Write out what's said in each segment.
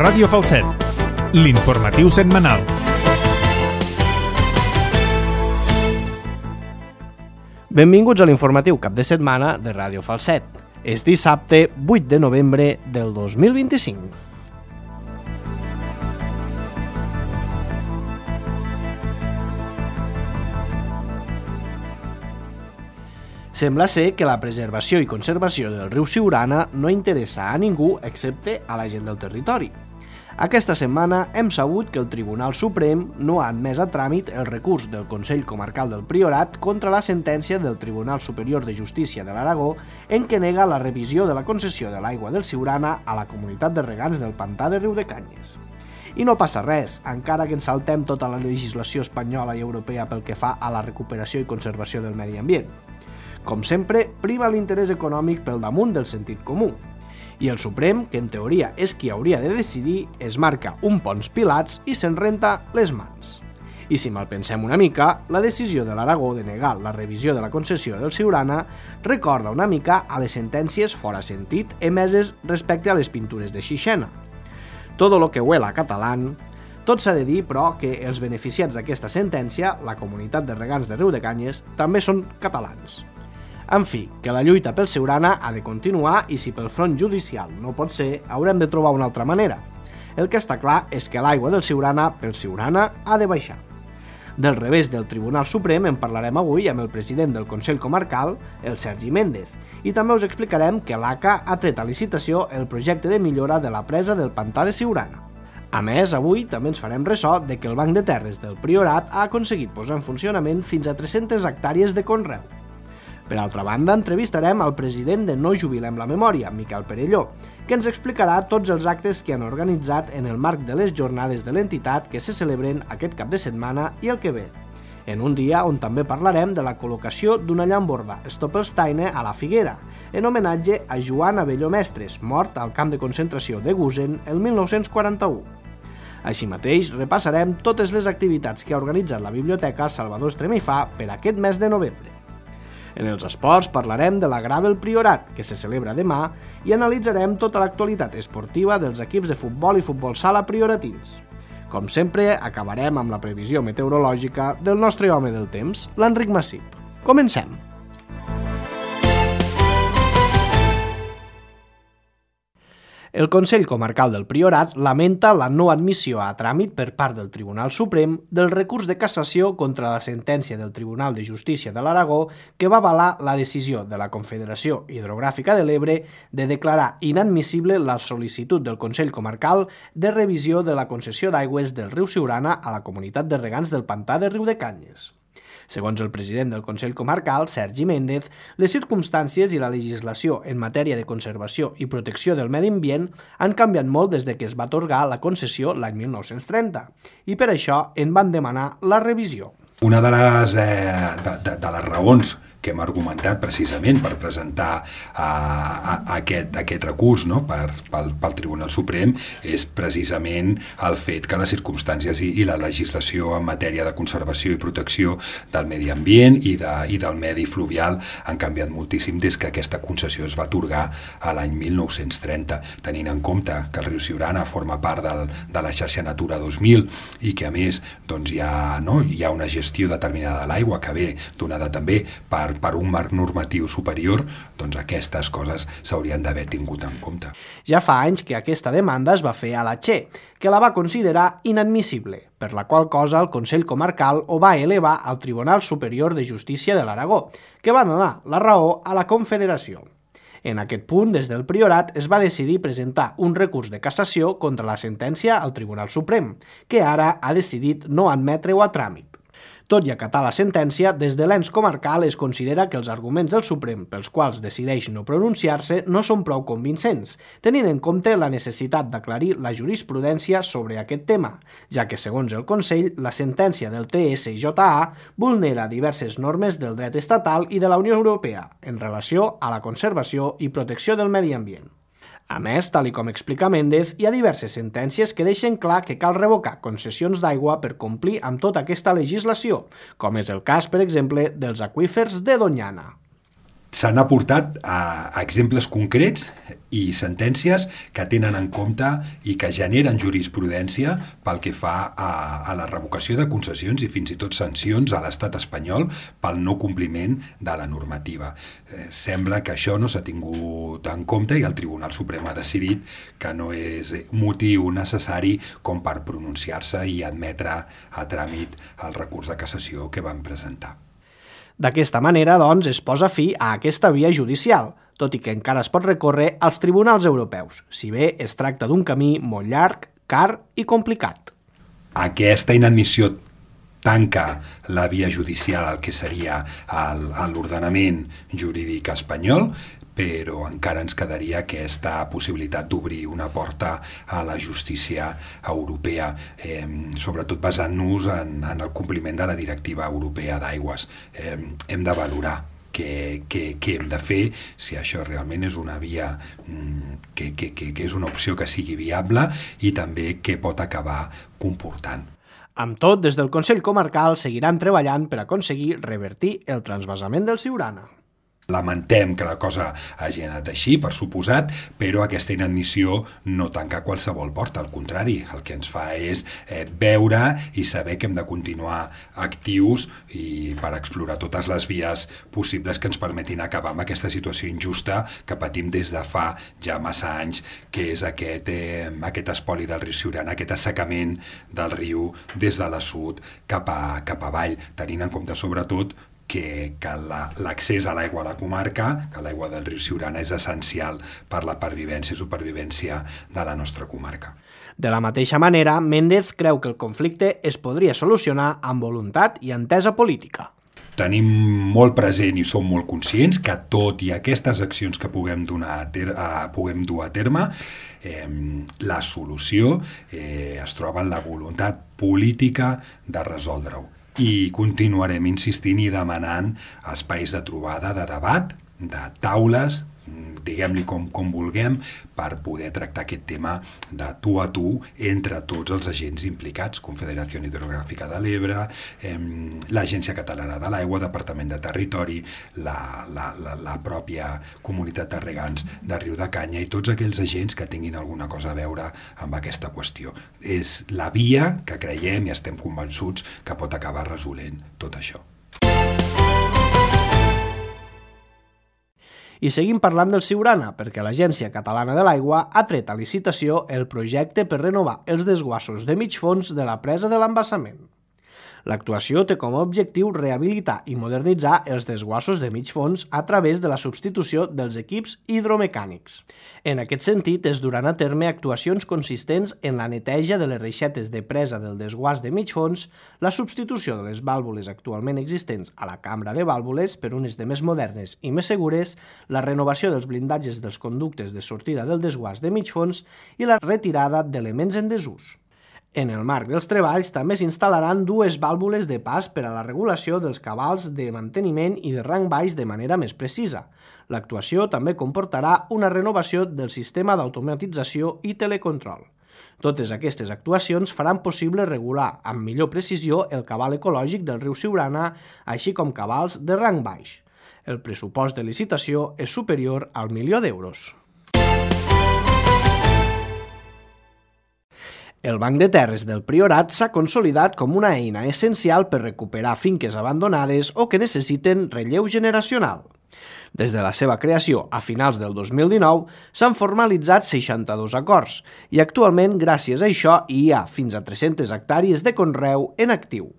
Ràdio Falset, l'informatiu setmanal. Benvinguts a l'informatiu cap de setmana de Ràdio Falset. És dissabte 8 de novembre del 2025. Sembla ser que la preservació i conservació del riu Siurana no interessa a ningú excepte a la gent del territori. Aquesta setmana hem sabut que el Tribunal Suprem no ha admès a tràmit el recurs del Consell Comarcal del Priorat contra la sentència del Tribunal Superior de Justícia de l'Aragó en què nega la revisió de la concessió de l'aigua del Siurana a la comunitat de regants del pantà de Riudecanyes. I no passa res, encara que ens saltem tota la legislació espanyola i europea pel que fa a la recuperació i conservació del medi ambient. Com sempre, prima l'interès econòmic pel damunt del sentit comú. I el Suprem, que en teoria és qui hauria de decidir, es marca un Ponç Pilats i se'n renta les mans. I si malpensem una mica, la decisió de l'Aragó de negar la revisió de la concessió del Siurana recorda una mica a les sentències fora sentit emeses respecte a les pintures de Xixena. Todo lo que huela catalán. Tot s'ha de dir, però, que els beneficiats d'aquesta sentència, la comunitat de regants de Riudecanyes, també són catalans. En fi, que la lluita pel Siurana ha de continuar i si pel front judicial no pot ser, haurem de trobar una altra manera. El que està clar és que l'aigua del Siurana pel Siurana ha de baixar. Del revés del Tribunal Suprem en parlarem avui amb el president del Consell Comarcal, el Sergi Méndez, i també us explicarem que l'ACA ha tret a licitació el projecte de millora de la presa del pantà de Siurana. A més, avui també ens farem ressò de que el Banc de Terres del Priorat ha aconseguit posar en funcionament fins a 300 hectàrees de conreu. Per altra banda, entrevistarem al president de No Jubilem la Memòria, Miquel Perelló, que ens explicarà tots els actes que han organitzat en el marc de les jornades de l'entitat que se celebren aquest cap de setmana i el que ve. En un dia on també parlarem de la col·locació d'una llamborda Stoppelsteine a la Figuera, en homenatge a Joan Abelló Mestres, mort al camp de concentració de Gusen el 1941. Així mateix, repassarem totes les activitats que ha organitzat la Biblioteca Salvador Estremifà per aquest mes de novembre. En els esports parlarem de la Gravel Priorat, que se celebra demà, i analitzarem tota l'actualitat esportiva dels equips de futbol i futbol sala prioratins. Com sempre, acabarem amb la previsió meteorològica del nostre home del temps, l'Enric Massip. Comencem! El Consell Comarcal del Priorat lamenta la no admissió a tràmit per part del Tribunal Suprem del recurs de cassació contra la sentència del Tribunal de Justícia de l'Aragó que va avalar la decisió de la Confederació Hidrogràfica de l'Ebre de declarar inadmissible la sol·licitud del Consell Comarcal de revisió de la concessió d'aigües del riu Siurana a la comunitat de regants del pantà de Riudecanyes. Segons el president del Consell Comarcal, Sergi Méndez, les circumstàncies i la legislació en matèria de conservació i protecció del medi ambient han canviat molt des de que es va atorgar la concessió l'any 1930 i per això en van demanar la revisió. Una de les raons que hem argumentat precisament per presentar aquest recurs, no? pel Tribunal Suprem és precisament el fet que les circumstàncies i la legislació en matèria de conservació i protecció del medi ambient i del medi fluvial han canviat moltíssim des que aquesta concessió es va atorgar a l'any 1930, tenint en compte que el riu Siurana forma part de la xarxa Natura 2000 i que a més doncs, hi ha una gestió determinada de l'aigua que ve donada també per un marc normatiu superior, doncs aquestes coses s'haurien d'haver tingut en compte. Ja fa anys que aquesta demanda es va fer a la Che, que la va considerar inadmissible, per la qual cosa el Consell Comarcal ho va elevar al Tribunal Superior de Justícia de l'Aragó, que va donar la raó a la Confederació. En aquest punt, des del Priorat, es va decidir presentar un recurs de cassació contra la sentència al Tribunal Suprem, que ara ha decidit no admetre-ho a tràmit. Tot i acatar la sentència, des de l'ens comarcal es considera que els arguments del Suprem pels quals decideix no pronunciar-se no són prou convincents, tenint en compte la necessitat d'aclarir la jurisprudència sobre aquest tema, ja que, segons el Consell, la sentència del TSJA vulnera diverses normes del dret estatal i de la Unió Europea en relació a la conservació i protecció del medi ambient. A més, tal com explica Méndez, hi ha diverses sentències que deixen clar que cal revocar concessions d'aigua per complir amb tota aquesta legislació, com és el cas, per exemple, dels aqüífers de Doñana. s'han aportat a exemples concrets i sentències que tenen en compte i que generen jurisprudència pel que fa a la revocació de concessions i fins i tot sancions a l'estat espanyol pel no compliment de la normativa. Sembla que això no s'ha tingut en compte i el Tribunal Suprem ha decidit que no és motiu necessari com per pronunciar-se i admetre a tràmit el recurs de cassació que van presentar. D'aquesta manera, doncs, es posa fi a aquesta via judicial, tot i que encara es pot recórrer als tribunals europeus, si bé es tracta d'un camí molt llarg, car i complicat. Aquesta inadmissió tanca la via judicial al que seria l'ordenament jurídic espanyol, però encara ens quedaria aquesta possibilitat d'obrir una porta a la justícia europea, sobretot basant-nos en el compliment de la directiva europea d'aigües. Hem de valorar què hem de fer, si això realment és una via que és una opció que sigui viable i també què pot acabar comportant. Amb tot, des del Consell Comarcal seguiran treballant per aconseguir revertir el transvasament del Siurana. Lamentem que la cosa hagi anat així, per suposat, però aquesta inadmissió no tanca qualsevol porta, al contrari, el que ens fa és veure i saber que hem de continuar actius i per explorar totes les vies possibles que ens permetin acabar amb aquesta situació injusta que patim des de fa ja massa anys, que és aquest espoli del riu Siurana, aquest assecament del riu des de l'assut cap avall, tenint en compte sobretot que l'accés a l'aigua a la comarca, que l'aigua del riu Siurana és essencial per la pervivència i supervivència de la nostra comarca. De la mateixa manera, Méndez creu que el conflicte es podria solucionar amb voluntat i entesa política. Tenim molt present i som molt conscients que tot i aquestes accions que puguem dur a terme, la solució es troba en la voluntat política de resoldre-ho. I continuarem insistint i demanant espais de trobada, de debat, de taules, diguem-li com vulguem, per poder tractar aquest tema de tu a tu entre tots els agents implicats, Confederació Hidrogràfica de l'Ebre, l'Agència Catalana de l'Aigua, Departament de Territori, la pròpia comunitat de regants de Riu de Canya i tots aquells agents que tinguin alguna cosa a veure amb aquesta qüestió. És la via que creiem i estem convençuts que pot acabar resolent tot això. I seguim parlant del Siurana, perquè l'Agència Catalana de l'Aigua ha tret a licitació el projecte per renovar els desguassos de mig fons de la presa de l'embassament. L'actuació té com a objectiu rehabilitar i modernitzar els desguassos de mig fons a través de la substitució dels equips hidromecànics. En aquest sentit, es duran a terme actuacions consistents en la neteja de les reixetes de presa del desguàs de mig fons, la substitució de les vàlvules actualment existents a la cambra de vàlvules per unes de més modernes i més segures, la renovació dels blindatges dels conductes de sortida del desguàs de mig fons i la retirada d'elements en desús. En el marc dels treballs també s'instal·laran dues vàlvules de pas per a la regulació dels cabals de manteniment i de rang baix de manera més precisa. L'actuació també comportarà una renovació del sistema d'automatització i telecontrol. Totes aquestes actuacions faran possible regular amb millor precisió el cabal ecològic del riu Siurana, així com cabals de rang baix. El pressupost de licitació és superior al 1 milió d'euros. El Banc de Terres del Priorat s'ha consolidat com una eina essencial per recuperar finques abandonades o que necessiten relleu generacional. Des de la seva creació a finals del 2019 s'han formalitzat 62 acords i actualment, gràcies a això, hi ha fins a 300 hectàrees de conreu en actiu.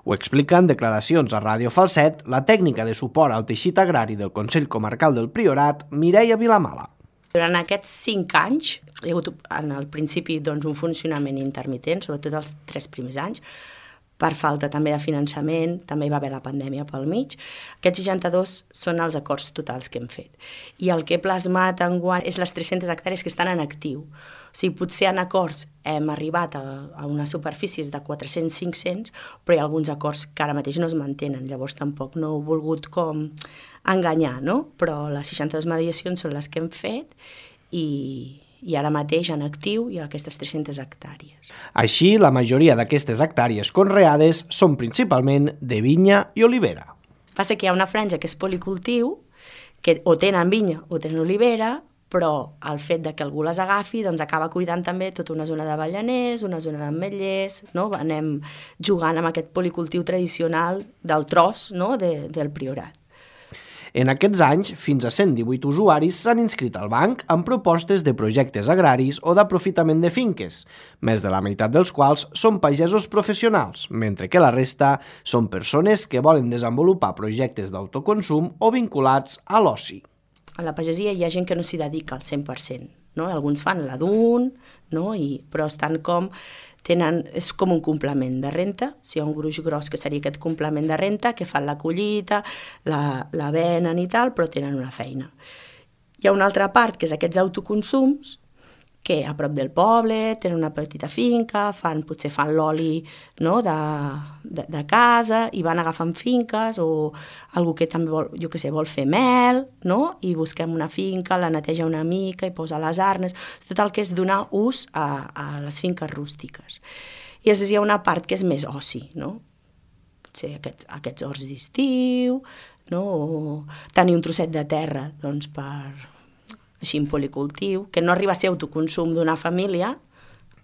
Ho explica en declaracions a Ràdio Falset la tècnica de suport al teixit agrari del Consell Comarcal del Priorat, Mireia Vilamala. Durant aquests 5 anys hi ha hagut en el principi un funcionament intermitent, sobretot els 3 primers anys, per falta també de finançament, també hi va haver la pandèmia pel mig. Aquests 62 són els acords totals que hem fet. I el que he plasmat enguany és les 300 hectàrees que estan en actiu. O sigui, potser en acords hem arribat a unes superfícies de 400-500, però hi ha alguns acords que ara mateix no es mantenen, llavors tampoc no he volgut com enganyar, no? Però les 62 mediacions són les que hem fet i ara mateix en actiu hi ha aquestes 300 hectàrees. Així, la majoria d'aquestes hectàrees conreades són principalment de vinya i olivera. Passa que hi ha una franja que és policultiu, que o tenen vinya o tenen olivera, però el fet de que algú les agafi doncs acaba cuidant també tota una zona d'avellaners, una zona d'ametllers, no? Anem jugant amb aquest policultiu tradicional del tros, no? del Priorat. En aquests anys, fins a 118 usuaris s'han inscrit al banc amb propostes de projectes agraris o d'aprofitament de finques, més de la meitat dels quals són pagesos professionals, mentre que la resta són persones que volen desenvolupar projectes d'autoconsum o vinculats a l'oci. A la pagesia hi ha gent que no s'hi dedica al 100%, no? Alguns fan la d'un, no? Però estan és com un complement de renta, si hi ha un gruix gros que seria aquest complement de renta, que fan la collita, la venen i tal, però tenen una feina. Hi ha una altra part, que és aquests autoconsums, que a prop del poble tenen una petita finca, potser fan l'oli, no? de casa, i van agafant finques, o algú que també vol, vol fer mel, no? I busquem una finca, la neteja una mica i posa les arnes, tot el que és donar ús a les finques rústiques. I després hi ha una part que és més oci, no? Potser aquests horts d'estiu, no? O tenir un trosset de terra, doncs, així en policultiu, que no arriba a ser autoconsum d'una família,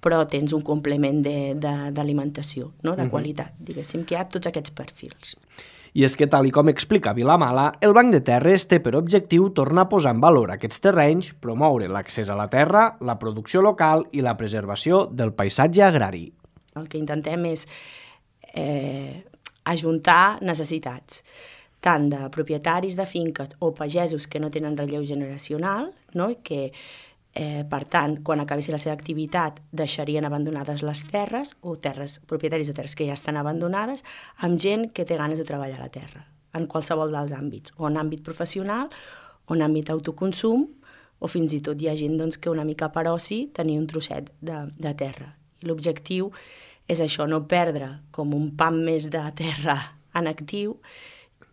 però tens un complement d'alimentació, no? De qualitat, diguéssim, que hi ha tots aquests perfils. I és que, tal i com explica Vilamala, el Banc de Terres té per objectiu tornar a posar en valor aquests terrenys, promoure l'accés a la terra, la producció local i la preservació del paisatge agrari. El que intentem és ajuntar necessitats, tant de propietaris de finques o pagesos que no tenen relleu generacional, no? I que, per tant, quan acabessi la seva activitat deixarien abandonades les terres, o propietaris de terres que ja estan abandonades, amb gent que té ganes de treballar la terra, en qualsevol dels àmbits, o en àmbit professional, o en àmbit autoconsum, o fins i tot hi ha gent doncs, que una mica per oci tenir un trosset de terra. I l'objectiu és això, no perdre com un pam més de terra en actiu,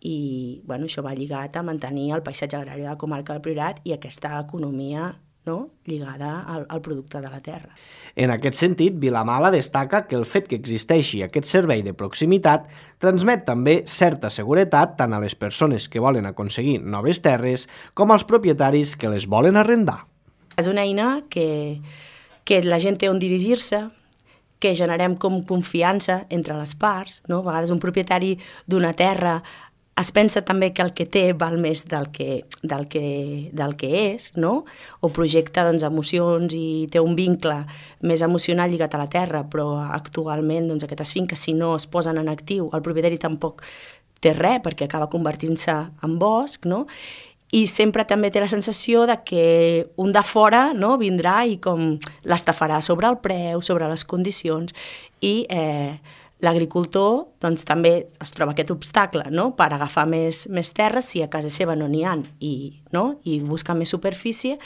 i això va lligat a mantenir el paisatge agrari de la comarca del Priorat i aquesta economia, no? Lligada al producte de la terra. En aquest sentit, Vilamala destaca que el fet que existeixi aquest servei de proximitat transmet també certa seguretat tant a les persones que volen aconseguir noves terres com als propietaris que les volen arrendar. És una eina que la gent té on dirigir-se, que generem com confiança entre les parts, no? A vegades un propietari d'una terra es pensa també que el que té val més del que és, no? O projecta emocions i té un vincle més emocional lligat a la terra, però actualment aquestes finques, si no es posen en actiu, el propietari tampoc té res perquè acaba convertint-se en bosc, no? I sempre també té la sensació de que un de fora, no? Vindrà i com l'estafarà sobre el preu, sobre les condicions, i l'agricultor també es troba aquest obstacle, no? Per agafar més terres si a casa seva no n'hi ha i buscar més superfície,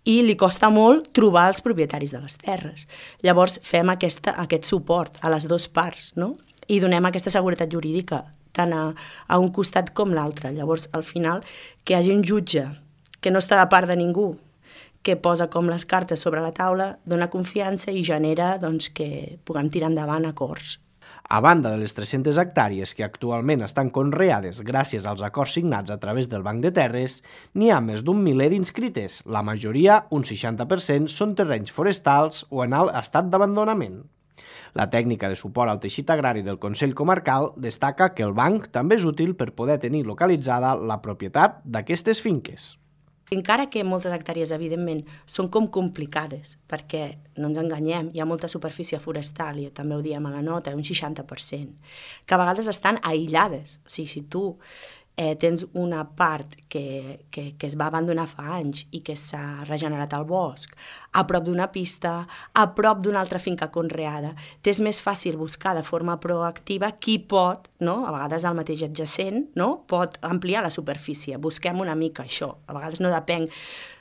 i li costa molt trobar els propietaris de les terres. Llavors fem aquest suport a les dues parts, no? I donem aquesta seguretat jurídica tant a un costat com l'altre. Llavors, al final, que hi hagi un jutge que no està de part de ningú, que posa com les cartes sobre la taula, dona confiança i genera que puguem tirar endavant acords. A banda de les 300 hectàrees que actualment estan conreades gràcies als acords signats a través del Banc de Terres, n'hi ha més d'un miler d'inscrites. La majoria, un 60%, són terrenys forestals o en alt estat d'abandonament. La tècnica de suport al teixit agrari del Consell Comarcal destaca que el banc també és útil per poder tenir localitzada la propietat d'aquestes finques. Encara que moltes hectàrees, evidentment, són com complicades, perquè, no ens enganyem, hi ha molta superfície forestal, i també ho diem a la nota, un 60%, que a vegades estan aïllades. O sigui, si tu tens una part que es va abandonar fa anys i que s'ha regenerat al bosc, a prop d'una pista, a prop d'una altra finca conreada, t'és més fàcil buscar de forma proactiva qui pot, no? A vegades el mateix adjacent, no? Pot ampliar la superfície. Busquem una mica això. A vegades no depèn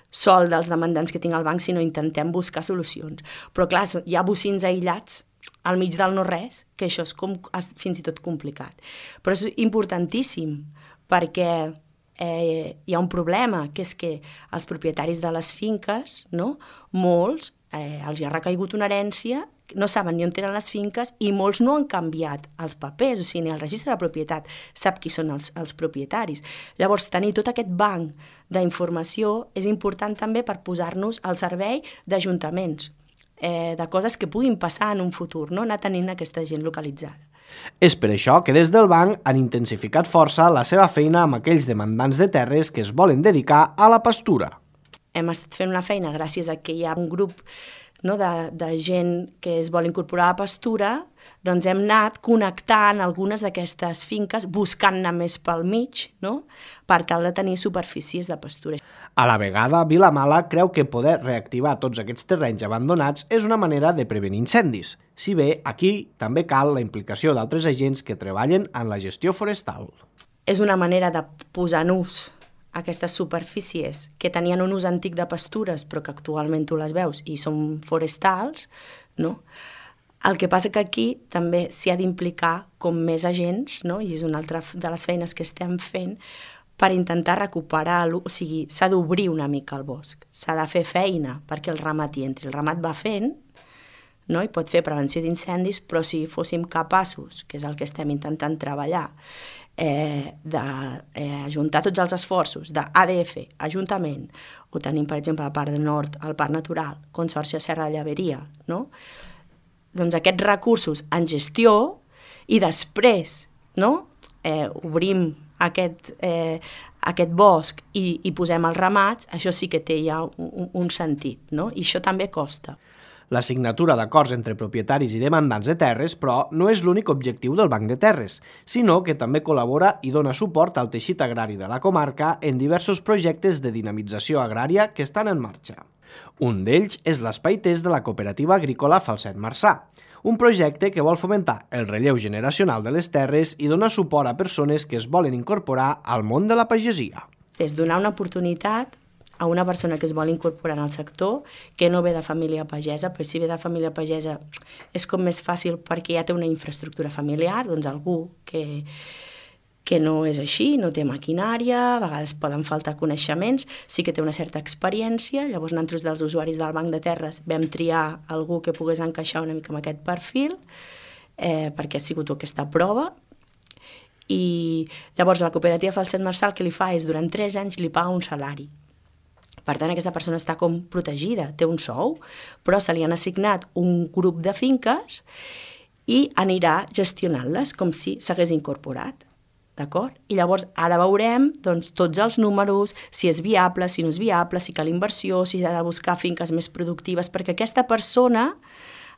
sol dels demandants que tinc al banc, sinó intentem buscar solucions. Però clar, hi ha bocins aïllats al mig del no-res, que això és fins i tot complicat. Però és importantíssim, perquè hi ha un problema, que és que els propietaris de les finques, no? Molts, els hi ha recaigut una herència no saben ni on tenen les finques i molts no han canviat els papers, o sigui, ni el registre de propietat sap qui són els propietaris. Llavors, tenir tot aquest banc d'informació és important també per posar-nos al servei d'ajuntaments, de coses que puguin passar en un futur, no? Anar tenint aquesta gent localitzada. És per això que des del banc han intensificat força la seva feina amb aquells demandants de terres que es volen dedicar a la pastura. Hem estat fent una feina gràcies a que hi ha un grup, no, de gent que es vol incorporar a la pastura, doncs hem anat connectant algunes d'aquestes finques, buscant-ne més pel mig, no? Per tal de tenir superfícies de pastura. A la vegada, Vilamala creu que poder reactivar tots aquests terrenys abandonats és una manera de prevenir incendis, si bé aquí també cal la implicació d'altres agents que treballen en la gestió forestal. És una manera de posar en ús aquestes superfícies que tenien un ús antic de pastures però que actualment tu les veus i són forestals, no? El que passa que aquí també s'hi ha d'implicar com més agents, no? I és una altra de les feines que estem fent per intentar recuperar-lo, o sigui, s'ha d'obrir una mica el bosc, s'ha de fer feina perquè el ramat hi entri. El ramat va fent, no? I pot fer prevenció d'incendis, però si fóssim capaços, que és el que estem intentant treballar, d'ajuntar tots els esforços d'ADF, Ajuntament, o tenim, per exemple, a la part del nord, el Parc Natural, Consorci Serra de Llaveria, no? Doncs aquests recursos en gestió i després, no? Obrim aquest bosc i posem els ramats, això sí que té ja un sentit, no? I això també costa. La signatura d'acords entre propietaris i demandants de terres, però, no és l'únic objectiu del Banc de Terres, sinó que també col·labora i dona suport al teixit agrari de la comarca en diversos projectes de dinamització agrària que estan en marxa. Un d'ells és l'Espai Test de la Cooperativa Agrícola Falset Marçà, un projecte que vol fomentar el relleu generacional de les terres i donar suport a persones que es volen incorporar al món de la pagesia. És donar una oportunitat a una persona que es vol incorporar al sector, que no ve de família pagesa, però si ve de família pagesa és com més fàcil perquè ja té una infraestructura familiar, doncs algú que no és així, no té maquinària, a vegades poden faltar coneixements, sí que té una certa experiència, llavors nosaltres dels usuaris del Banc de Terres vam triar algú que pogués encaixar una mica amb aquest perfil, perquè ha sigut aquesta prova, i llavors la cooperativa Falset Marçà el que li fa és durant 3 anys li paga un salari. Per tant, aquesta persona està com protegida, té un sou, però se li han assignat un grup de finques i anirà gestionant-les com si s'hagués incorporat. D'acord? I llavors ara veurem doncs, tots els números, si és viable, si no és viable, si cal inversió, si s'ha de buscar finques més productives, perquè aquesta persona,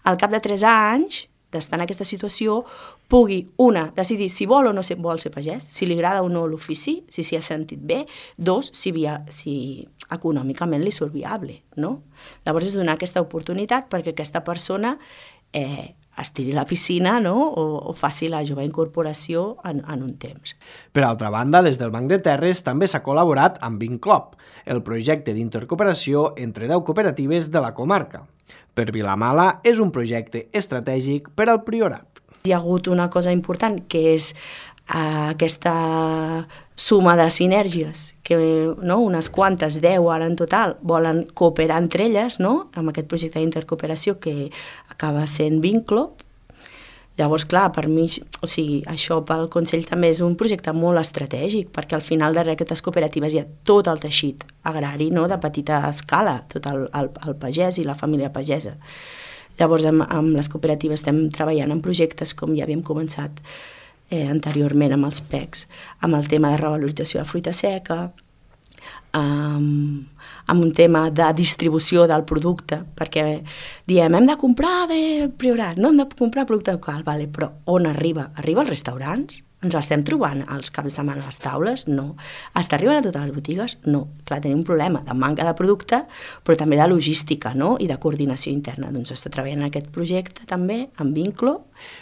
al cap de 3 anys d'estar en aquesta situació, pugui, una, decidir si vol o no vol ser pagès, si li agrada o no l'ofici, si s'hi ha sentit bé, 2, si econòmicament li surt viable, no? Llavors és donar aquesta oportunitat perquè aquesta persona es tiri a la piscina, no? o faci la jove incorporació en un temps. Per altra banda, des del Banc de Terres també s'ha col·laborat amb Vinclop, el projecte d'intercooperació entre 10 cooperatives de la comarca. Per Vilamala és un projecte estratègic per al Priorat. Hi ha hagut una cosa important, que és aquesta suma de sinergies, que no, unes quantes, 10 ara en total, volen cooperar entre elles, no? Amb aquest projecte d'intercooperació que acaba sent Vinclop. Llavors, clar, per mi, o sigui, això pel Consell també és un projecte molt estratègic, perquè al final darrere d'aquestes cooperatives hi ha tot el teixit agrari, no?, de petita escala, tot el pagès i la família pagesa. Llavors, amb les cooperatives estem treballant en projectes, com ja havíem començat anteriorment amb els PECs, amb el tema de revalorització de fruita seca, amb un tema de distribució del producte, perquè diem, hem de comprar de Priorat, no hem de comprar producte local, vale, però on arriba? Arriba als restaurants? Ens l'estem trobant als caps de setmana a les taules? No. Està arribant a totes les botigues? No. Clar, tenim un problema de manca de producte, però també de logística, no?, i de coordinació interna. Doncs està treballant en aquest projecte també, amb Vinclo.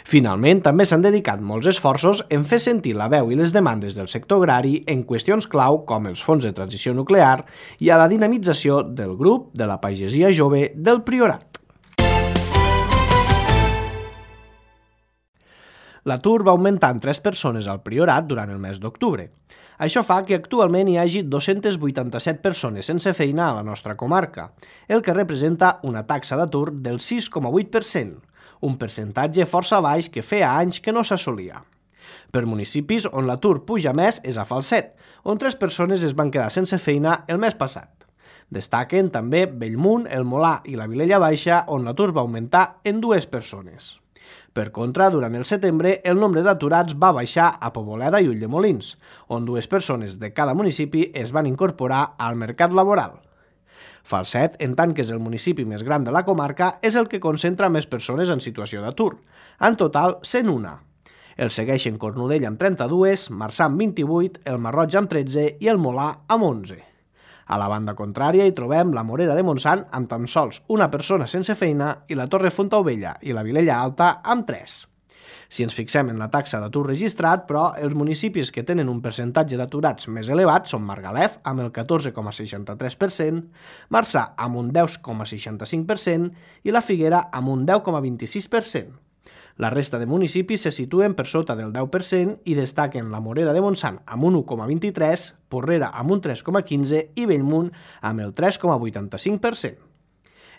Finalment, també s'han dedicat molts esforços en fer sentir la veu i les demandes del sector agrari en qüestions clau com els fons de transició nuclear i a la dinamització del grup de la pagesia jove del Priorat. L'atur va augmentar en 3 persones al Priorat durant el mes d'octubre. Això fa que actualment hi hagi 287 persones sense feina a la nostra comarca, el que representa una taxa d'atur del 6,8%, un percentatge força baix que feia anys que no s'assolia. Per municipis on l'atur puja més és a Falset, on 3 persones es van quedar sense feina el mes passat. Destaquen també Bellmunt, el Molar i la Vilella Baixa, on l'atur va augmentar en 2 persones. Per contra, durant el setembre, el nombre d'aturats va baixar a Poboleda i Ulldemolins, on 2 persones de cada municipi es van incorporar al mercat laboral. Falset, en tant que és el municipi més gran de la comarca, és el que concentra més persones en situació d'atur. En total, 101. El segueixen Cornudella amb 32, Marçà amb 28, el Marroig amb 13 i el Molar amb 11. A la banda contrària hi trobem la Morera de Montsant amb tan sols una persona sense feina i la Torre Fontaubella i la Vilella Alta amb 3. Si ens fixem en la taxa d'atur registrat, però, els municipis que tenen un percentatge d'aturats més elevat són Margalef, amb el 14,63%, Marçà, amb un 10,65% i la Figuera, amb un 10,26%. La resta de municipis se situen per sota del 10% i destaquen la Morera de Montsant amb un 1,23%, Porrera amb un 3,15% i Bellmunt amb el 3,85%.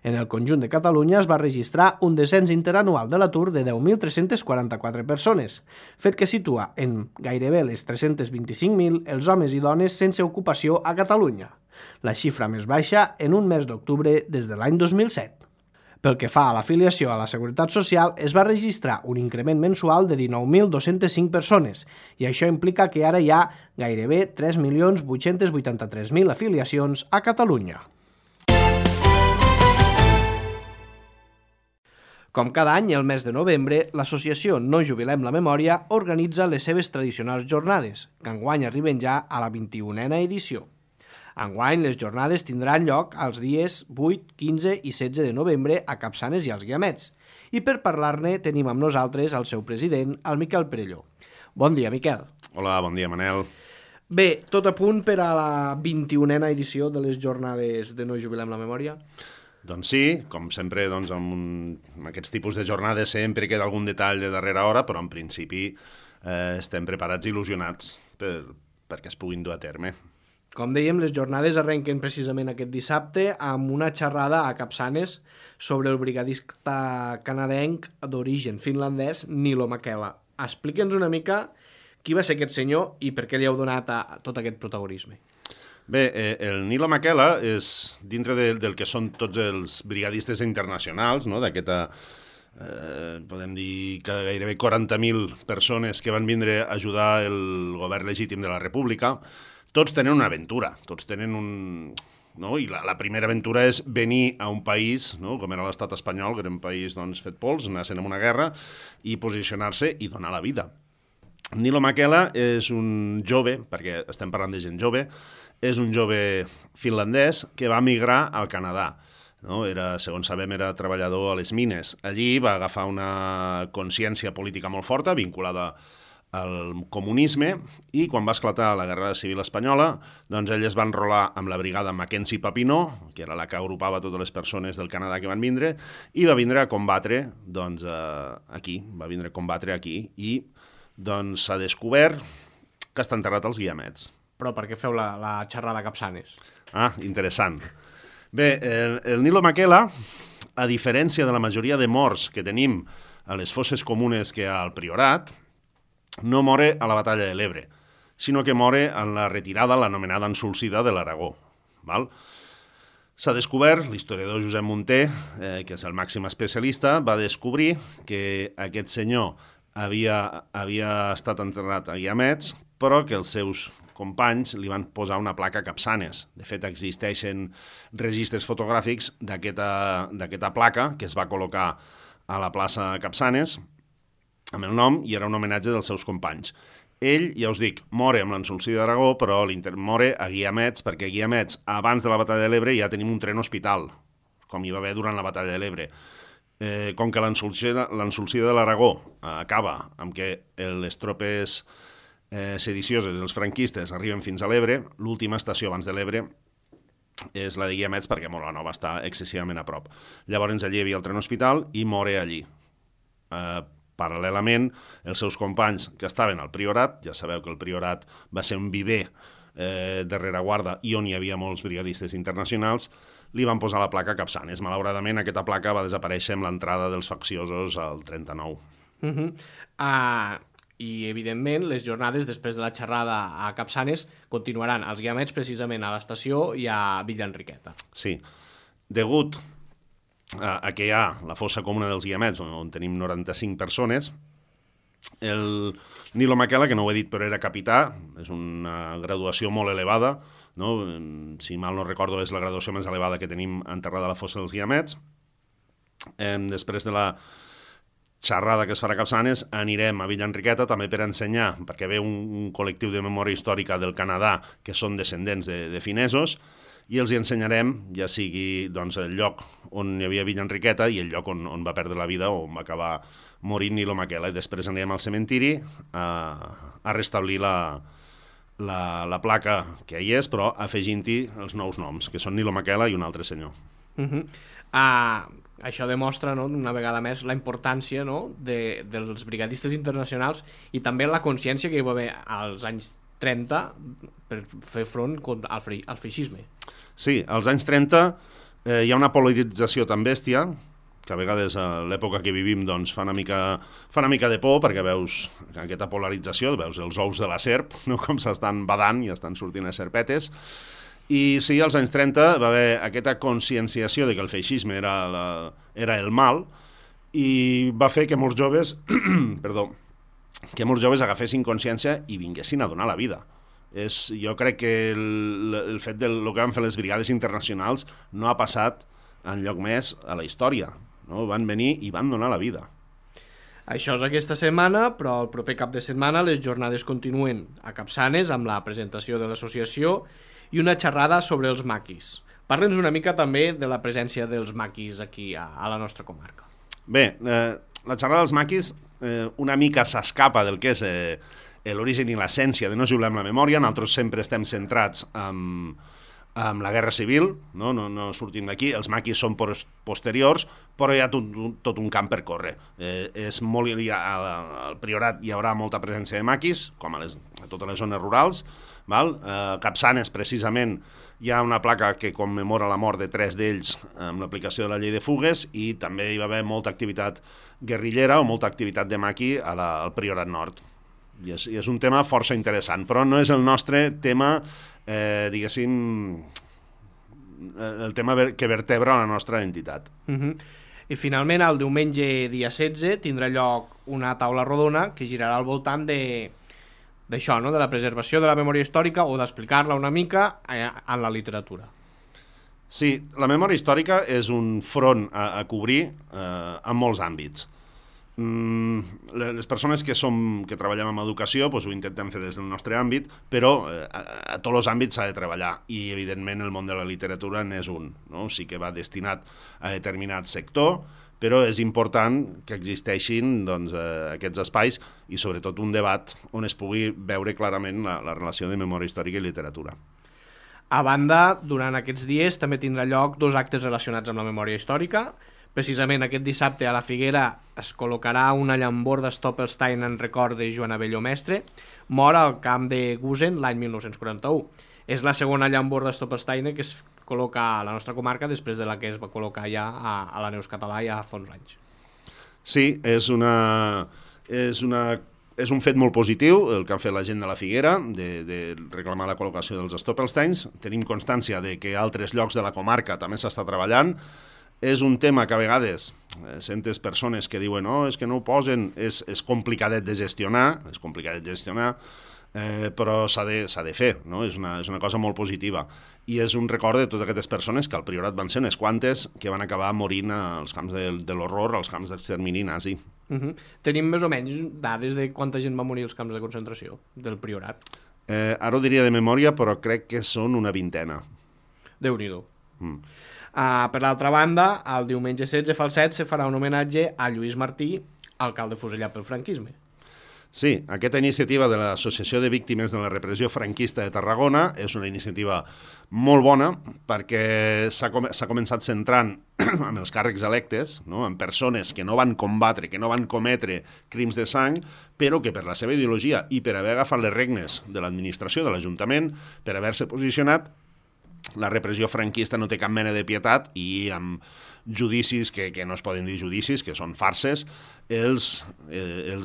En el conjunt de Catalunya es va registrar un descens interanual de l'atur de 10.344 persones, fet que situa en gairebé les 325.000 els homes i dones sense ocupació a Catalunya, la xifra més baixa en un mes d'octubre des de l'any 2007. Pel que fa a l'afiliació a la Seguretat Social, es va registrar un increment mensual de 19.205 persones i això implica que ara hi ha gairebé 3.883.000 afiliacions a Catalunya. Com cada any, el mes de novembre, l'associació No Jubilem la Memòria organitza les seves tradicionals jornades, que enguany arriben ja a la 21a edició. Enguany, les jornades tindran lloc els dies 8, 15 i 16 de novembre a Capçanes i als Guiamets. I per parlar-ne tenim amb nosaltres el seu president, el Miquel Perelló. Bon dia, Miquel. Hola, bon dia, Manel. Bé, tot a punt per a la 21a edició de les jornades de No Jubilem la Memòria? Doncs sí, com sempre, amb aquests tipus de jornades sempre queda algun detall de darrera hora, però en principi estem preparats i il·lusionats perquè es puguin dur a terme. Com dèiem, les jornades arrenquen precisament aquest dissabte amb una xerrada a Capçanes sobre el brigadista canadenc d'origen finlandès Niilo Mäkelä. Explica'ns una mica qui va ser aquest senyor i per què li heu donat tot aquest protagonisme. Bé, el Niilo Mäkelä és dintre del que són tots els brigadistes internacionals, no? D'aquesta, podem dir que gairebé 40.000 persones que van vindre a ajudar el govern legítim de la República. Tots tenen una aventura, tots tenen no? I la primera aventura és venir a un país, no? Com era l'estat espanyol, que era un país fet pols, anar-se'n en una guerra, i posicionar-se i donar la vida. Niilo Mäkelä és un jove, perquè estem parlant de gent jove, és un jove finlandès que va migrar al Canadà. No? Segons sabem, era treballador a les mines. Allí va agafar una consciència política molt forta, vinculada al comunisme, i quan va esclatar la Guerra Civil Espanyola, doncs ell es va enrolar amb la brigada Mackenzie Papineau, que era la que agrupava totes les persones del Canadà que van vindre, i va vindre a combatre aquí, i doncs s'ha descobert que està enterrat als Guiamets. Però per què feu la xerrada a Capçanes? Ah, interessant. Bé, el Niilo Mäkelä, a diferència de la majoria de morts que tenim a les fosses comunes que hi ha al Priorat, no mora a la batalla de l'Ebre, sinó que mora en la retirada, l'anomenada ensolsida de l'Aragó. S'ha descobert, l'historiador Josep Munter, que és el màxim especialista, va descobrir que aquest senyor havia estat enterrat a Guiamets, però que els seus companys li van posar una placa a Capçanes. De fet, existeixen registres fotogràfics d'aquesta placa que es va col·locar a la plaça Capçanes, amb el nom, i era un homenatge dels seus companys. Ell, ja us dic, mora amb l'ensolsida d'Aragó, però mora a Guiamets, perquè a Guiamets, abans de la batalla de l'Ebre, ja tenim un tren hospital, com hi va haver durant la batalla de l'Ebre. Com que l'ensolsida de l'Aragó acaba amb que les tropes sedicioses, els franquistes, arriben fins a l'Ebre, l'última estació abans de l'Ebre és la de Guiamets, perquè Molanova està excessivament a prop. Llavors allí hi havia el tren hospital i mora allí. Paral·lelament, els seus companys que estaven al Priorat, ja sabeu que el Priorat va ser un viver de rereguarda i on hi havia molts brigadistes internacionals, li van posar la placa Capçanes. Malauradament, aquesta placa va desaparèixer amb l'entrada dels facciosos al 39. I, evidentment, les jornades després de la xerrada a Capçanes continuaran als Guiamets precisament a l'estació i a Villa Enriqueta. Sí. Degut a que hi ha la fossa comuna dels Guiamets, on tenim 95 persones, el Nilo Maquela, que no ho he dit però era capità, és una graduació molt elevada, no? Si mal no recordo és la graduació més elevada que tenim enterrada a la fossa dels Guiamets. Després de la xerrada que es farà a Capçanes anirem a Villa Enriqueta també per ensenyar, perquè ve un col·lectiu de memòria històrica del Canadà que són descendents de finesos, i els hi ensenyarem, ja sigui doncs, el lloc on hi havia Villa Enriqueta i el lloc on va perdre la vida o on va acabar morint Nilo Maquela, i després anirem al cementiri a restablir la placa que hi és, però afegint-hi els nous noms, que són Nilo Maquela i un altre senyor. Això demostra, no, una vegada més la importància, no, dels brigadistes internacionals i també la consciència que hi va haver als anys 30 per fer front al feixisme. Sí, als anys 30 hi ha una polarització tan bèstia que a vegades a l'època que vivim doncs, fa una mica de por, perquè veus aquesta polarització, veus els ous de la serp, no? Com s'estan badant i estan sortint les serpetes. I sí, als anys 30 va haver aquesta conscienciació de que el feixisme era el mal i va fer que molts joves agafessin consciència i vinguessin a donar la vida. Jo crec que el fet del que van fer les brigades internacionals no ha passat enlloc més a la història. No? Van venir i van donar la vida. Això és aquesta setmana, però el proper cap de setmana les jornades continuen a Capçanes amb la presentació de l'associació i una xerrada sobre els maquis. Parla'ns una mica també de la presència dels maquis aquí a la nostra comarca. Bé, la xerrada dels maquis una mica s'escapa del que és l'origen i l'essència de No jublem la memòria. Nosaltres sempre estem centrats en la Guerra Civil, no sortim d'aquí. Els maquis són posteriors, però hi ha tot un camp per córrer. Al Priorat hi haurà molta presència de maquis, com a totes les zones rurals. A Capçanes, precisament, hi ha una placa que commemora la mort de 3 d'ells amb l'aplicació de la llei de fugues, i també hi va haver molta activitat guerrillera o molta activitat de maqui al Priorat Nord. I és un tema força interessant, però no és el nostre tema, diguéssim, el tema que vertebra la nostra entitat. I finalment, el diumenge dia 16 tindrà lloc una taula rodona que girarà al voltant d'això, no? De la preservació de la memòria històrica o d'explicar-la una mica en la literatura. Sí, la memòria històrica és un front a cobrir en molts àmbits. Les persones que treballem en educació ho intentem fer des del nostre àmbit, però a tots els àmbits s'ha de treballar, i evidentment el món de la literatura n'és un, no? Sí que va destinat a determinat sector, però és important que existeixin aquests espais i sobretot un debat on es pugui veure clarament la relació de memòria històrica i literatura. A banda, durant aquests dies també tindrà lloc 2 actes relacionats amb la memòria històrica. Precisament aquest dissabte a la Figuera es col·locarà una llamborda Stoppelstein en record de Joan Abelló Mestre, mort al camp de Gusen l'any 1941. És la segona llamborda Stoppelstein que es col·loca a la nostra comarca després de la que es va col·locar ja a la Neus Català ja fa uns anys. Sí, és un fet molt positiu el que ha fet la gent de la Figuera de reclamar la col·locació dels Stoppelsteins. Tenim constància de que a altres llocs de la comarca també s'està treballant. És un tema que a vegades sentes persones que diuen és que no ho posen, és complicadet de gestionar, però s'ha de fer, no? És una cosa molt positiva. I és un record de totes aquestes persones que al Priorat van ser unes quantes que van acabar morint als camps de l'horror, als camps d'extermini nazi. Tenim més o menys dades de quanta gent va morir als camps de concentració del Priorat? Ara ho diria de memòria, però crec que són una 20. Déu-n'hi-do. Per l'altra banda, el diumenge 16 fa el 7 se farà un homenatge a Lluís Martí, alcalde fusellat pel franquisme. Sí, aquesta iniciativa de l'Associació de Víctimes de la Repressió Franquista de Tarragona és una iniciativa molt bona perquè s'ha començat centrant en els càrrecs electes, no? En persones que no van combatre, que no van cometre crims de sang, però que per la seva ideologia i per haver agafat les regnes de l'administració, de l'Ajuntament, per haver-se posicionat, la repressió franquista no té cap mena de pietat i amb judicis que no es poden dir judicis, que són farses, els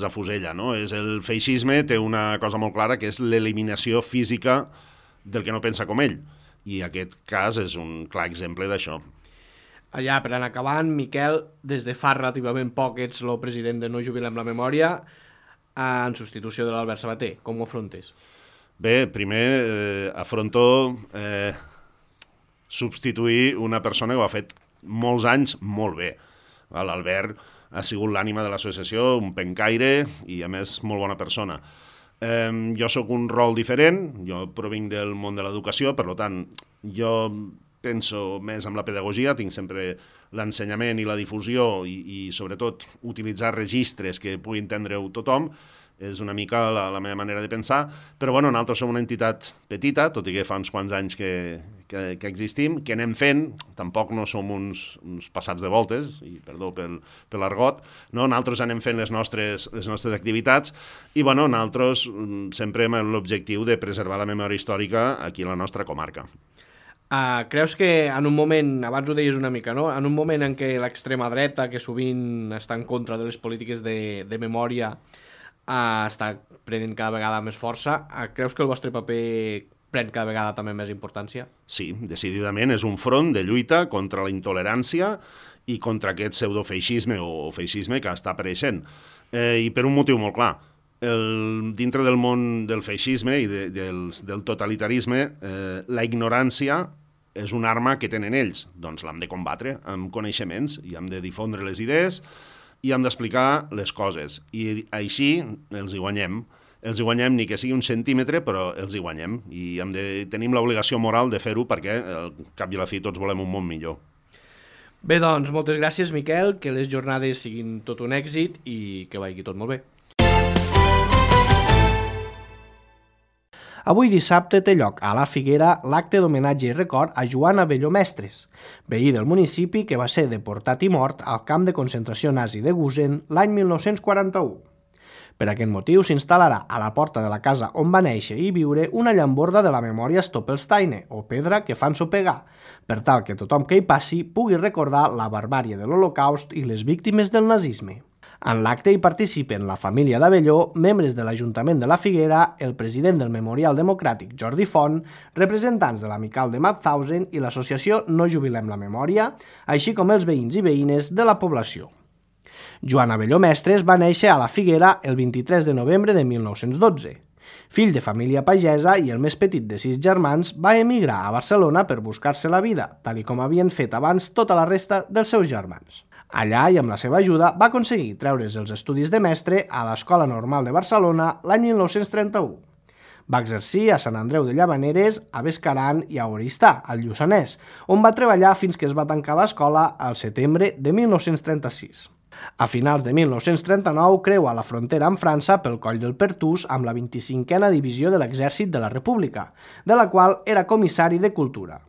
afusella. No? El feixisme té una cosa molt clara, que és l'eliminació física del que no pensa com ell. I aquest cas és un clar exemple d'això. Allà, per anar acabant, Miquel, des de fa relativament poc ets el president de No Jubilem la Memòria en substitució de l'Albert Sabater. Com ho afrontes? Bé, primer afronto substituir una persona que ho ha fet molts anys molt bé. L'Albert ha sigut l'ànima de l'associació, un pencaire i, a més, molt bona persona. Jo sóc un rol diferent, jo provinc del món de l'educació, per tant, jo penso més en la pedagogia, tinc sempre l'ensenyament i la difusió i sobretot, utilitzar registres que pugui entendre-ho tothom, és una mica la meva manera de pensar, però bueno, nosaltres som una entitat petita, tot i que fa uns quants anys que existim, que anem fent, tampoc no som uns passats de voltes, i perdó per l'argot, no? Nosaltres anem fent les nostres activitats i bueno, nosaltres sempre amb l'objectiu de preservar la memòria històrica aquí a la nostra comarca. Creus que en un moment, abans ho deies una mica, no? En un moment en què l'extrema dreta, que sovint està en contra de les polítiques de memòria, està prenent cada vegada més força, creus que el vostre paper pren cada vegada també més importància? Sí, decididament és un front de lluita contra la intolerància i contra aquest pseudofeixisme o feixisme que està apareixent. I per un motiu molt clar. Dintre del món del feixisme i del totalitarisme, la ignorància és una arma que tenen ells. Doncs l'hem de combatre amb coneixements i hem de difondre les idees i hem d'explicar les coses. I així els hi guanyem. Els hi guanyem ni que sigui un centímetre, però els hi guanyem. I tenim l'obligació moral de fer-ho perquè, al cap i a la fi, tots volem un món millor. Bé, doncs, moltes gràcies, Miquel, que les jornades siguin tot un èxit i que vagi tot molt bé. Avui dissabte té lloc a la Figuera l'acte d'homenatge i record a Joan Abelló Mestres, veí del municipi que va ser deportat i mort al camp de concentració nazi de Gusen l'any 1941. Per aquest motiu s'instal·larà a la porta de la casa on va néixer i viure una llamborda de la memòria Stoppelsteine, o pedra que fan sopegar, per tal que tothom que hi passi pugui recordar la barbàrie de l'Holocaust i les víctimes del nazisme. En l'acte hi participen la família d'Abelló, membres de l'Ajuntament de la Figuera, el president del Memorial Democràtic Jordi Font, representants de l'Amical de Mauthausen i l'associació No Jubilem la Memòria, així com els veïns i veïnes de la població. Joan Abelló Mestres va néixer a la Figuera el 23 de novembre de 1912. Fill de família pagesa i el més petit de 6 germans, va emigrar a Barcelona per buscar-se la vida, tal com havien fet abans tota la resta dels seus germans. Allà, i amb la seva ajuda, va aconseguir treure's els estudis de mestre a l'Escola Normal de Barcelona l'any 1931. Va exercir a Sant Andreu de Llavaneres, a Bescaran i a Oristà, al Lluçanès, on va treballar fins que es va tancar l'escola al setembre de 1936. A finals de 1939 creua la frontera amb França pel coll del Pertús amb la 25a Divisió de l'Exèrcit de la República, de la qual era comissari de Cultura.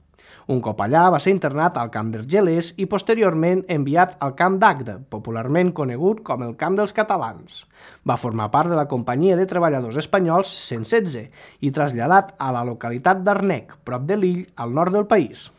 Un cop allà va ser internat al camp d'Argelers i posteriorment enviat al camp d'Agde, popularment conegut com el camp dels catalans. Va formar part de la companyia de treballadors espanyols 116 i traslladat a la localitat d'Arnec, prop de Lille, al nord del país.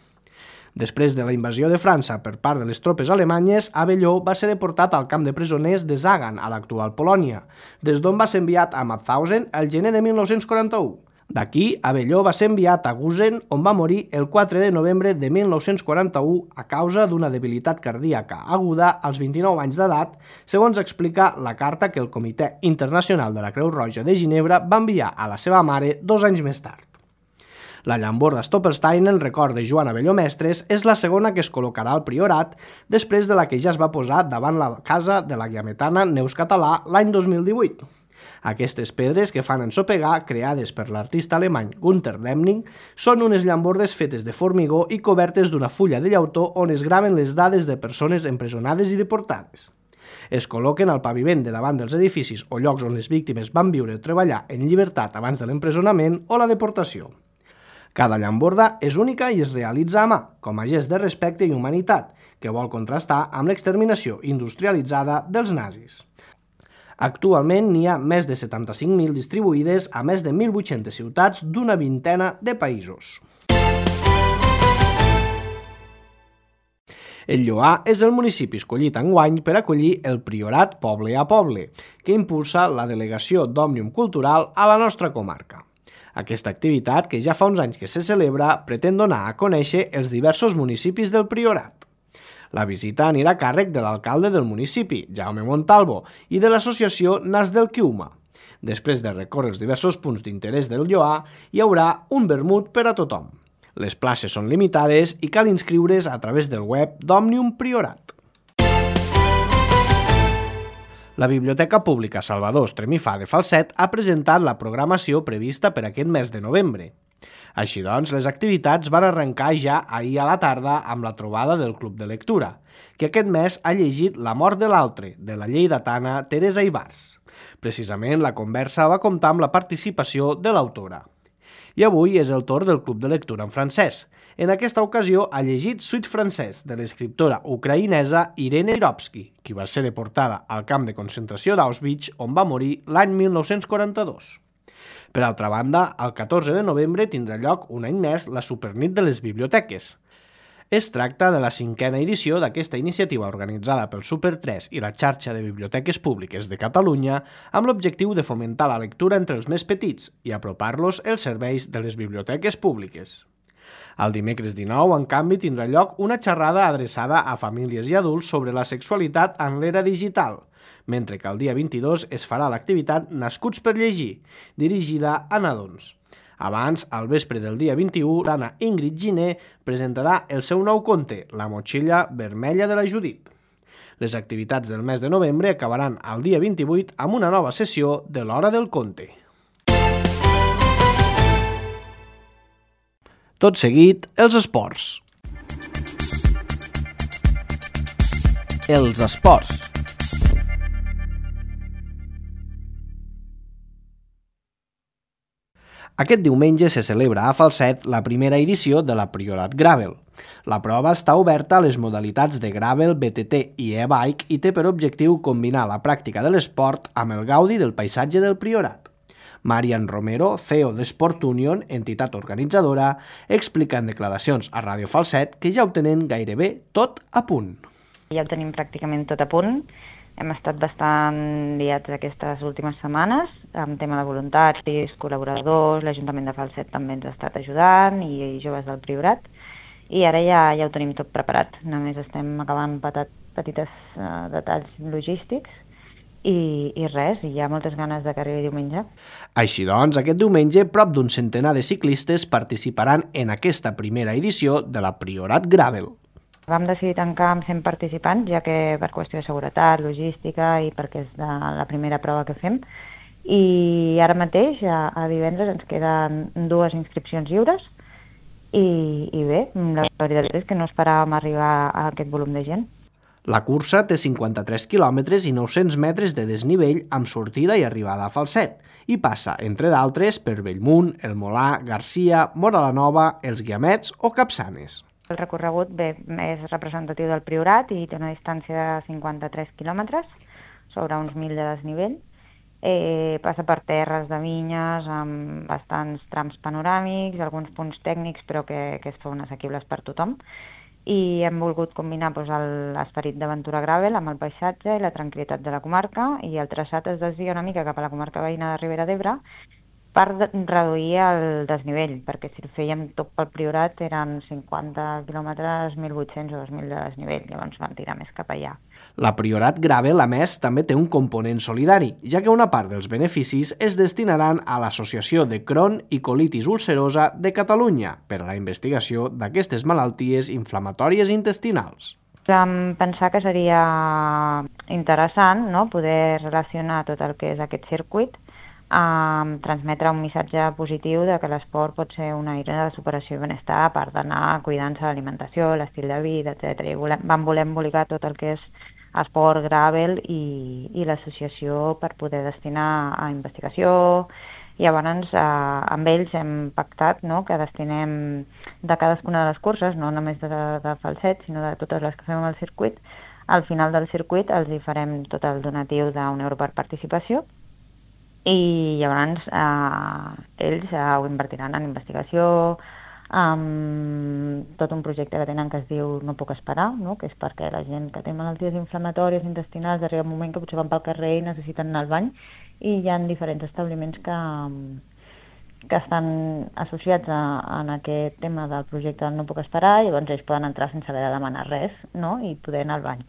Després de la invasió de França per part de les tropes alemanyes, Abelló va ser deportat al camp de presoners de Zagan, a l'actual Polònia, des d'on va ser enviat a Mauthausen el gener de 1941. D'aquí, Abelló va ser enviat a Gusen, on va morir el 4 de novembre de 1941 a causa d'una debilitat cardíaca aguda als 29 anys d'edat, segons explica la carta que el Comitè Internacional de la Creu Roja de Ginebra va enviar a la seva mare 2 anys més tard. La llamborda Stoppelsteine, en record de Joan Abelló Mestres, és la segona que es col·locarà al Priorat, després de la que ja es va posar davant la casa de la guiametana Neus Català l'any 2018. Aquestes pedres que fan ensopegar, creades per l'artista alemany Günter Demning, són unes llambordes fetes de formigó i cobertes d'una fulla de llautó on es graven les dades de persones empresonades i deportades. Es col·loquen al paviment de davant dels edificis o llocs on les víctimes van viure o treballar en llibertat abans de l'empresonament o la deportació. Cada llamborda és única i es realitza a mà, com a gest de respecte i humanitat, que vol contrastar amb l'exterminació industrialitzada dels nazis. Actualment n'hi ha més de 75.000 distribuïdes a més de 1.800 ciutats d'una vintena de països. El Lloar és el municipi escollit enguany per acollir el Priorat Poble a Poble, que impulsa la delegació d'Òmnium Cultural a la nostra comarca. Aquesta activitat, que ja fa uns anys que se celebra, pretén donar a conèixer els diversos municipis del Priorat. La visita anirà a càrrec de l'alcalde del municipi, Jaume Montalvo, i de l'associació Nas del Quiuma. Després de recórrer els diversos punts d'interès del Lloar, hi haurà un vermut per a tothom. Les places són limitades i cal inscriure's a través del web d'Òmnium Priorat. La Biblioteca Pública Salvador Estremifà de Falset ha presentat la programació prevista per aquest mes de novembre. Així doncs, les activitats van arrencar ja ahir a la tarda amb la trobada del Club de Lectura, que aquest mes ha llegit La mort de l'altre, de la lleidatana Teresa Ibars. Precisament, la conversa va comptar amb la participació de l'autora. I avui és el torn del Club de Lectura en francès. En aquesta ocasió ha llegit Suite francès de l'escriptora ucraïnesa Irene Irovsky, qui va ser deportada al camp de concentració d'Auschwitz, on va morir l'any 1942. Per altra banda, el 14 de novembre tindrà lloc un any més la Supernit de les Biblioteques. Es tracta de la 5a edició d'aquesta iniciativa organitzada pel Super 3 i la xarxa de biblioteques públiques de Catalunya amb l'objectiu de fomentar la lectura entre els més petits i apropar-los els serveis de les biblioteques públiques. El dimecres 19, en canvi, tindrà lloc una xerrada adreçada a famílies i adults sobre la sexualitat en l'era digital, mentre que el dia 22 es farà l'activitat Nascuts per llegir, dirigida a nadons. Abans, al vespre del dia 21, l'Anna Ingrid Giner presentarà el seu nou conte, La motxilla vermella de la Judit. Les activitats del mes de novembre acabaran el dia 28 amb una nova sessió de l'Hora del Conte. Tot seguit, els esports. Els esports. Aquest diumenge se celebra a Falset la primera edició de la Priorat Gravel. La prova està oberta a les modalitats de Gravel, BTT i e-bike i té per objectiu combinar la pràctica de l'esport amb el gaudi del paisatge del Priorat. Marian Romero, CEO d'Sport Union, entitat organitzadora, explica en declaracions a Ràdio Falset que ja ho tenen gairebé tot a punt. Ja ho tenim pràcticament tot a punt. Hem estat bastant liats aquestes últimes setmanes amb tema de voluntaris, col·laboradors, l'Ajuntament de Falset també ens ha estat ajudant i joves del Priorat. I ara ja ho tenim tot preparat. Només estem acabant petites detalls logístics i res, i hi ha moltes ganes de que arribi diumenge. Així doncs, aquest diumenge prop d'un centenar de ciclistes participaran en aquesta primera edició de la Priorat Gravel. Vam decidir tancar amb 100 participants, ja que per qüestió de seguretat, logística i perquè és la primera prova que fem. I ara mateix, a divendres, ens queden 2 inscripcions lliures i bé, la veritat és que no esperàvem arribar a aquest volum de gent. La cursa té 53 quilòmetres i 900 metres de desnivell amb sortida i arribada a Falset i passa, entre d'altres, per Bellmunt, El Molar, Garcia, Móra la Nova, Els Guiamets o Capçanes. El recorregut és representatiu del Priorat i té una distància de 53 quilòmetres sobre uns 1.000 de desnivell. Passa per terres de vinyes amb bastants trams panoràmics, alguns punts tècnics però que es fan assequibles per tothom. I hem volgut combinar l'esperit d'aventura gravel amb el paisatge i la tranquil·litat de la comarca, i el traçat es desvia una mica cap a la comarca veïna de Ribera d'Ebre per reduir el desnivell, perquè si el fèiem tot pel Priorat eren 50 quilòmetres, 1.800 o 2.000 de desnivell, llavors vam tirar més cap allà. La Priorat Gravel, a més, també té un component solidari, ja que una part dels beneficis es destinaran a l'Associació de Crohn i Colitis Ulcerosa de Catalunya per a la investigació d'aquestes malalties inflamatòries intestinals. Vam pensar que seria interessant, no?, poder relacionar tot el que és aquest circuit amb transmetre un missatge positiu de que l'esport pot ser una eina de superació i benestar, a part d'anar cuidant-se l'alimentació, l'estil de vida, etc. I vam voler embolicar tot el que és Esport, Gravel i l'associació per poder destinar a investigació. I llavors amb ells hem pactat, no?, que destinem de cadascuna de les curses, no només de falset, sinó de totes les que fem al circuit. Al final del circuit els hi farem tot el donatiu d'€1 per participació i llavors ells ho invertiran en investigació, tot un projecte que tenen que es diu No puc esperar, no?, que és perquè la gent que té malalties inflamatòries intestinals arriba un moment que potser van pel carrer i necessiten anar al bany, i hi ha diferents establiments que estan associats en aquest tema del projecte del No puc esperar, i llavors ells poden entrar sense haver de demanar res, no?, i poder anar al bany.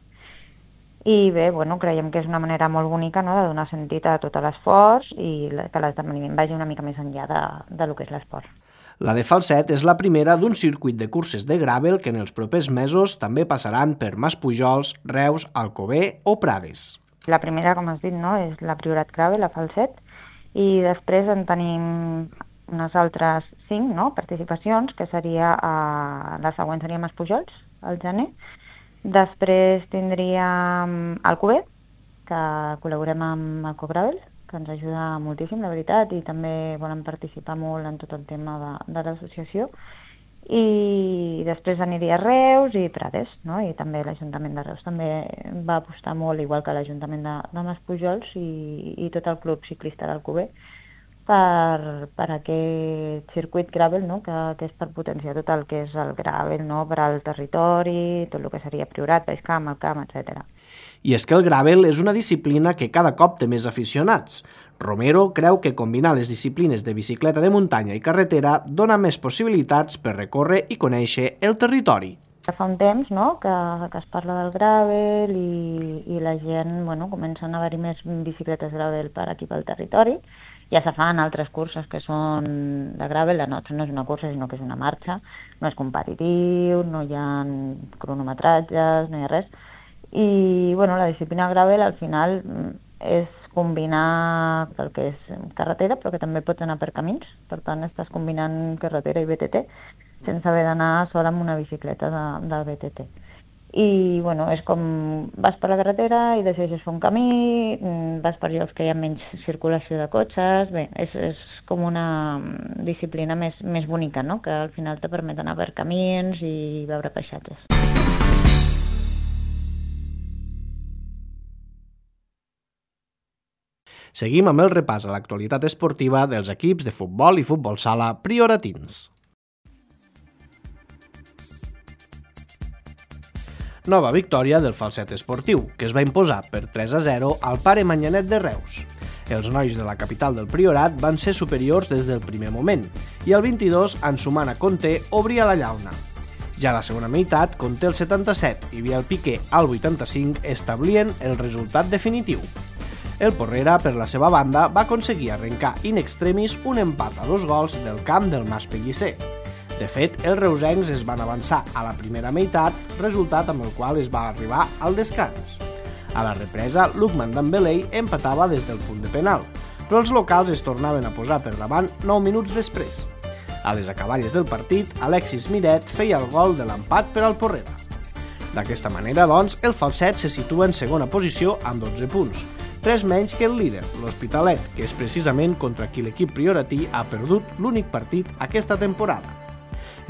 I bé, creiem que és una manera molt bonica, no?, de donar sentit a tot l'esforç i que l'esdeveniment vagi una mica més enllà del que és l'esport. La de Falset és la primera d'un circuit de curses de gravel que en els propers mesos també passaran per Maspujols, Reus, Alcover o Prades. La primera, com has dit, no?, és la Priorat Gravel, a Falset, i després en tenim unes altres 5, no?, participacions, que seria la següent seria Maspujols, al gener. Després tindríem Alcover, que col·laborem amb Alcogravel, que ens ajuda moltíssim, la veritat, i també volen participar molt en tot el tema de l'associació. I després aniria Reus i Prades, no?, i també l'Ajuntament de Reus també va apostar molt, igual que l'Ajuntament de Maspujols i tot el club ciclista d'Alcover, per aquest circuit gravel, no?, que és per potenciar tot el que és el gravel, no?, per al territori, tot el que seria Priorat, Baixcamp, Altcamp, etc. I és que el gravel és una disciplina que cada cop té més aficionats. Romero creu que combinar les disciplines de bicicleta de muntanya i carretera dona més possibilitats per recórrer i conèixer el territori. Fa un temps, no?, que es parla del gravel i la gent, comencen a haver-hi més bicicletes gravel per aquí pel territori. Ja se fan altres curses que són de gravel, la nostra no és una cursa, sinó que és una marxa, no és competitiu, no hi ha cronometratges, no hi ha res. I la disciplina gravel al final és combinar el que és carretera, però que també pots anar per camins, per tant estàs combinant carretera i BTT sense haver d'anar sola amb una bicicleta de BTT. I és com vas per la carretera i decideixes fer un camí, vas per llocs que hi ha menys circulació de cotxes, bé, és com una disciplina més bonica, no?, que al final te permet anar per camins i veure paisatges. Seguim amb el repàs a l'actualitat esportiva dels equips de futbol i futbol sala prioratins. Nova victòria del falset esportiu, que es va imposar per 3-0 al Pare Manyanet de Reus. Els nois de la capital del Priorat van ser superiors des del primer moment i el 22, Ansumana Conté obria la llauna. Ja a la segona meitat, Conté el 77 i Biel Piqué al 85 establien el resultat definitiu. El Porrera, per la seva banda, va aconseguir arrencar in extremis un empat a 2 gols del camp del Mas Pellicer. De fet, els reusencs es van avançar a la primera meitat, resultat amb el qual es va arribar al descans. A la represa, Lukman Dembélé empatava des del punt de penal, però els locals es tornaven a posar per davant 9 minuts després. A les acaballes del partit, Alexis Miret feia el gol de l'empat per al Porrera. D'aquesta manera, doncs, el falset se situa en segona posició amb 12 punts, 3 menys que el líder, l'Hospitalet, que és precisament contra qui l'equip prioratí ha perdut l'únic partit aquesta temporada.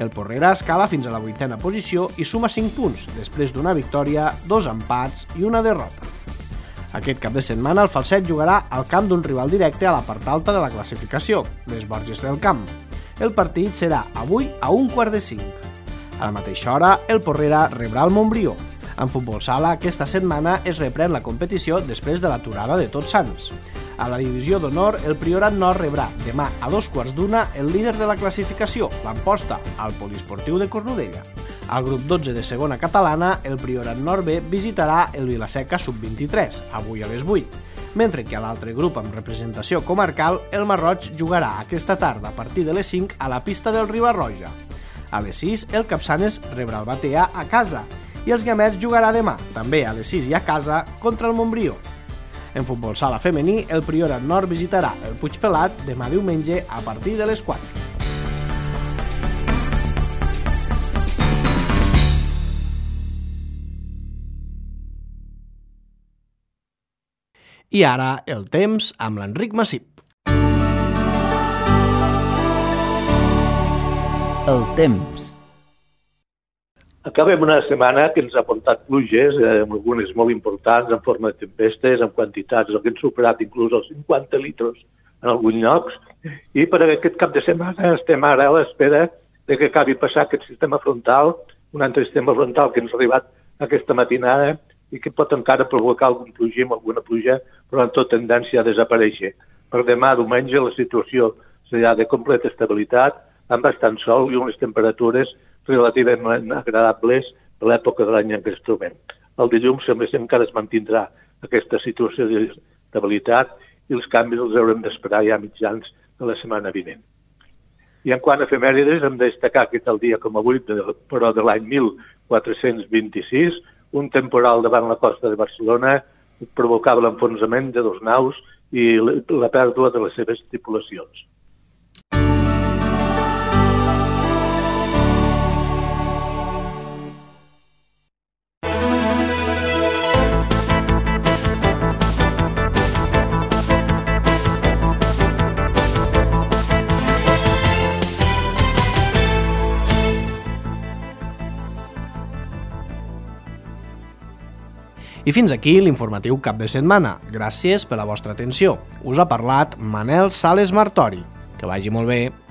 El Porrera escala fins a la 8a posició i suma 5 punts, després d'una victòria, 2 empats i una derrota. Aquest cap de setmana el falset jugarà al camp d'un rival directe a la part alta de la classificació, les Borges del Camp. El partit serà avui a 4:45. A la mateixa hora, el Porrera rebrà el Montbrió. En futbol sala, aquesta setmana es reprèn la competició després de l'aturada de Tots Sants. A la divisió d'honor, el Priorat Nord rebrà demà a 2:15 el líder de la classificació, l'Amposta, al Poliesportiu de Cornudella. Al grup 12 de segona catalana, el Priorat Nord B visitarà el Vilaseca Sub-23, avui a les 8, mentre que a l'altre grup amb representació comarcal, el Marroig jugarà aquesta tarda a partir de les 5 a la pista del Riba-roja. A les 6, el Capçanes rebrà el Batea a casa, i els Guiamets jugarà demà, també a les 6 i a casa, contra el Montbrió. En futbol sala femení, el Priorat Nord visitarà el Puigpelat demà diumenge a partir de les 4. I ara el temps amb l'Enric Massip. El temps. Acabem una setmana que ens ha portat pluges, algunes molt importants, en forma de tempestes, en quantitats que han superat inclús els 50 litres en alguns llocs, i per aquest cap de setmana estem ara a l'espera de que acabi passar aquest sistema frontal, un altre sistema frontal que ens ha arribat aquesta matinada i que pot encara provocar algun plogim, alguna pluja, però en tota tendència a desaparèixer. Per demà, diumenge, la situació serà de completa estabilitat, amb bastant sol i unes temperatures relativament agradables per l'època de l'any en què ens trobem. El dilluns sembla que encara es mantindrà aquesta situació d'estabilitat i els canvis els haurem d'esperar ja mitjans de la setmana vinent. I en quant a efemèrides, hem de destacar que tal dia com avui, però de l'any 1426, un temporal davant la costa de Barcelona provocava l'enfonsament de 2 naus i la pèrdua de les seves tripulacions. I fins aquí l'informatiu cap de setmana. Gràcies per la vostra atenció. Us ha parlat Manel Sales Martori. Que vagi molt bé.